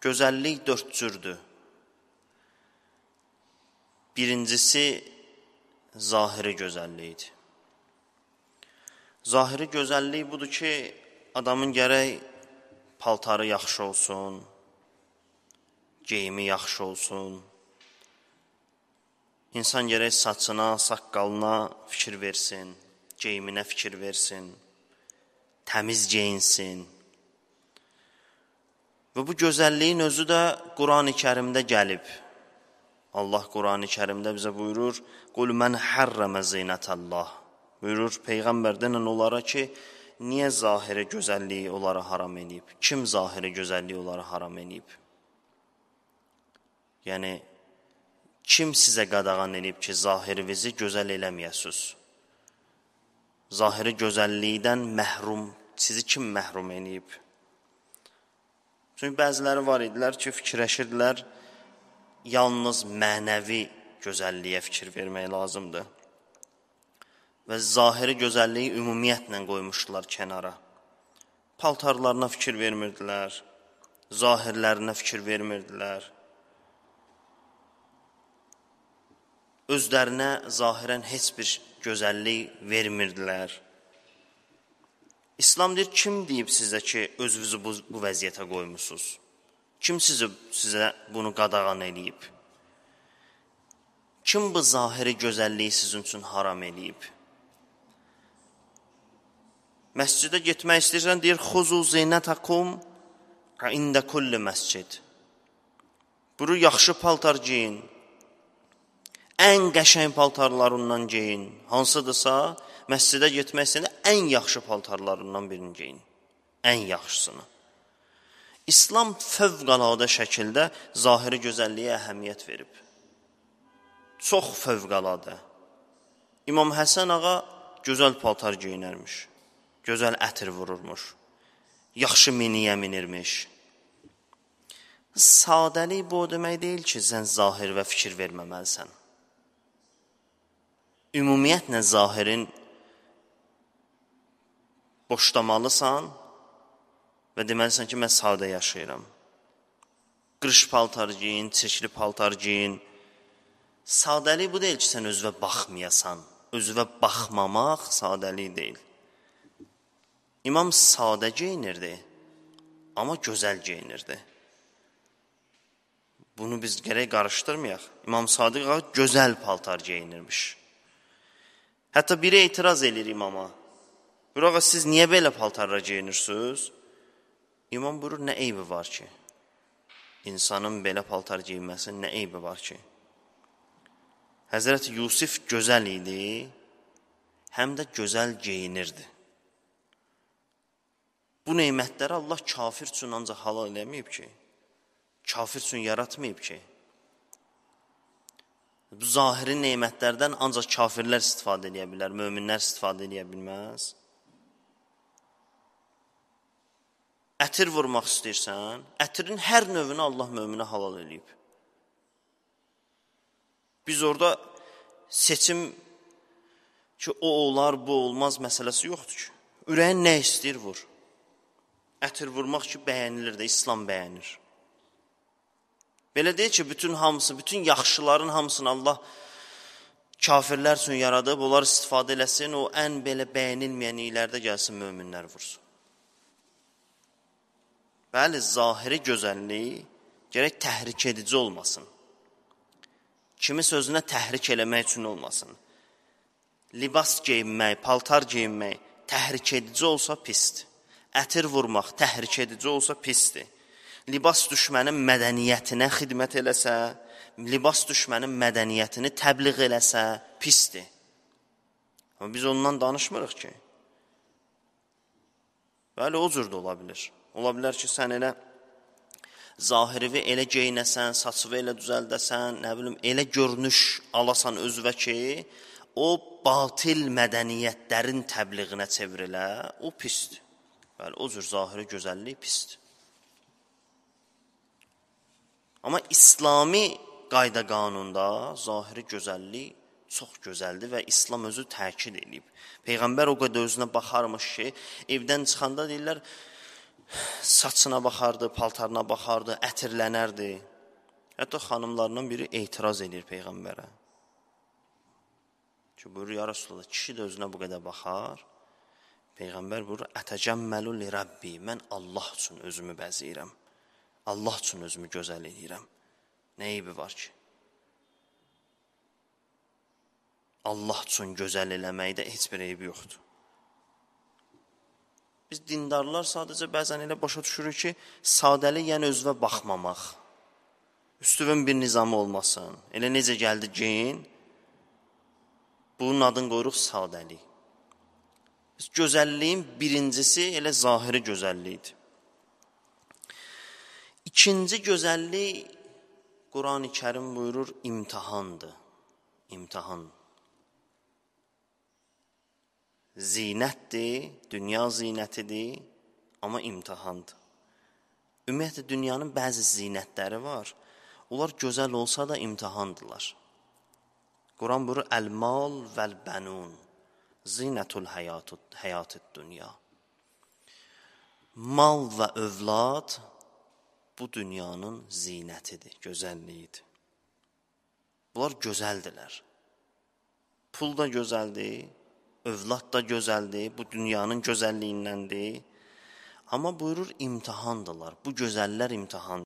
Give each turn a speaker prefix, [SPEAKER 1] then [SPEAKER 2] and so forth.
[SPEAKER 1] Gözəllik dörd cürdür. Birincisi, zahiri gözəllikdir. Zahiri gözəllik budur ki, adamın gərək paltarı yaxşı olsun, geyimi yaxşı olsun. İnsan gərək saçına, saqqalına fikir versin, geyiminə fikir versin, təmiz geyinsin. Və bu gözəlliyin özü də Qurani Kərimdə gəlib. Allah Qurani Kərimdə bizə buyurur, "Qul men harrama zinətallah." Buyurur Peyğəmbərdən onlara ki, niyə zahiri gözəlliyi onlara haram edib? Kim zahiri gözəlliyi onlara haram edib? Yəni, kim sizə qadağan edib ki, zahirinizi gözəl eləməyəsiniz? Zahiri gözəllikdən məhrum, sizi kim məhrum edib? Çünki bəziləri var idilər ki, fikirləşirdilər, yalnız mənəvi gözəlliyə fikir vermək lazımdır. Və zahiri gözəlliyi ümumiyyətlə qoymuşdular kənara. Paltarlarına fikir vermirdilər, zahirlərinə fikir vermirdilər. Özlərinə zahirən heç bir gözəllik vermirdilər. İslam deyir, kim deyib sizə ki, özünüzü bu vəziyyətə qoymusunuz? Kim sizə bunu qadağan edib? Kim bu zahiri gözəlliyi sizin üçün haram edib? Məscidə getmək istəyirsən, deyir, "Xuzu zinətakum ində kulli məscid." Buyurur, yaxşı paltar giyin. Ən qəşəng paltarlarından giyin. Hansıdırsa, məscidə getmək istəyirsən, ən yaxşı paltarlarından birini giyin. Ən yaxşısını. İslam fövqəladə şəkildə zahiri gözəlliyə əhəmiyyət verib. Çox fövqəladə. İmam Həsən ağa gözəl paltar geyinərmiş. Gözəl ətir vururmuş. Yaxşı miniyə minirmiş. Sadəlik bu demək deyil ki, sən zahir və fikir verməməlisən. Ümumiyyətlə zahirin boşlamalısan və deməlisən ki, mən sadə yaşayıram. Qırış paltar giyin, çirkli paltar giyin. Sadəlik bu deyil ki, sən özünə baxmayasan. Özünə baxmamaq sadəlik deyil. İmam sadə geyinirdi, amma gözəl geyinirdi. Bunu biz gərək qarışdırmayaq. İmam Sadiq ağa gözəl paltar geyinirmiş. Hətta biri etiraz edir imama. Buyur, ağa, siz niyə belə paltarla geyinirsiniz? İmam buyurur, nə eybi var ki? İnsanın belə paltar geyinməsinin nə eybi var ki? Həzrəti Yusif gözəl idi, həm də gözəl geyinirdi. Bu neymətləri Allah kafir üçün ancaq halal eləməyib ki, kafir üçün yaratmayıb ki. Bu zahiri neymətlərdən ancaq kafirlər istifadə edə bilər, möminlər istifadə edə bilməz. Ətir vurmaq istəyirsən, ətirin hər növünü Allah möminə halal eləyib. Biz orada seçim ki, o olar, bu olmaz məsələsi yoxdur ki. Ürəyin nə istəyir vur. Ətir vurmaq ki, bəyənilir də, İslam bəyənir. Belə deyil ki, bütün hamısı, bütün yaxşıların hamısını Allah kafirlər üçün yaradıb, onlar istifadə eləsin, o ən belə bəyənilməyən ilərdə gəlsin, möminlər vursun. Bəli, zahiri gözəlliyi gərək təhrik edici olmasın. Kimi sözünə təhrik eləmək üçün olmasın. Libas geyinmək, paltar geyinmək təhrik edici olsa pisdir. Ətir vurmaq təhrik edici olsa pisdir. Libas düşmənin mədəniyyətinə xidmət eləsə, libas düşmənin mədəniyyətini təbliğ eləsə pisdir. Amma biz ondan danışmırıq ki. Bəli, o cür də ola bilir. Ola bilər ki, sən elə zahirivi elə geyinəsən, saçıvı elə düzəldəsən, nə bilim, elə görünüş alasan özvə ki, o batil mədəniyyətlərin təbliğinə çevrilə, o pisdir. Bəli, o cür zahiri gözəllik pisdir. Amma İslami qayda qanunda zahiri gözəllik çox gözəldir və İslam özü təkid edib. Peyğəmbər o qədər özünə baxarmış ki, evdən çıxanda deyirlər, saçına baxardı, paltarına baxardı, ətirlənərdi. Hətta xanımlarından biri etiraz edir Peyğəmbərə. Ki, buyurur, ya Rasulullah, kişi də özünə bu qədər baxar. Peyğəmbər buyurur, ətəcəmməlu li Rabbi, mən Allah üçün özümü bəzəyirəm. Allah üçün özümü gözəl edirəm. Nə eybi var ki? Allah üçün gözəl eləməkdə heç bir eybi yoxdur. Biz dindarlar sadəcə bəzən elə başa düşürük ki, sadəlik yəni özünə baxmamaq. Üstüvün bir nizamı olmasın. Elə necə gəldi geyin, bunun adını qoyuruq sadəlik. Biz gözəlliyin birincisi elə zahiri gözəllikdir. İkinci gözəllik, Quran-ı Kərim buyurur, imtihandır. İmtihan. Zinətdir, dünya zinətidir, amma imtihandır. Ümumiyyətlə, dünyanın bəzi zinətləri var. Onlar gözəl olsa da imtihandırlar. Quran buyurur, əl-mal vəl-bənun, zinətul həyatid dünya. Mal və övlad bu dünyanın zinətidir, gözəlliyidir. Bunlar gözəldirlər. Pul da gözəldir, övlad da gözəldir, bu dünyanın gözəlliyindəndir. Amma buyurur, imtihandırlar. Bu gözəllər imtihandır.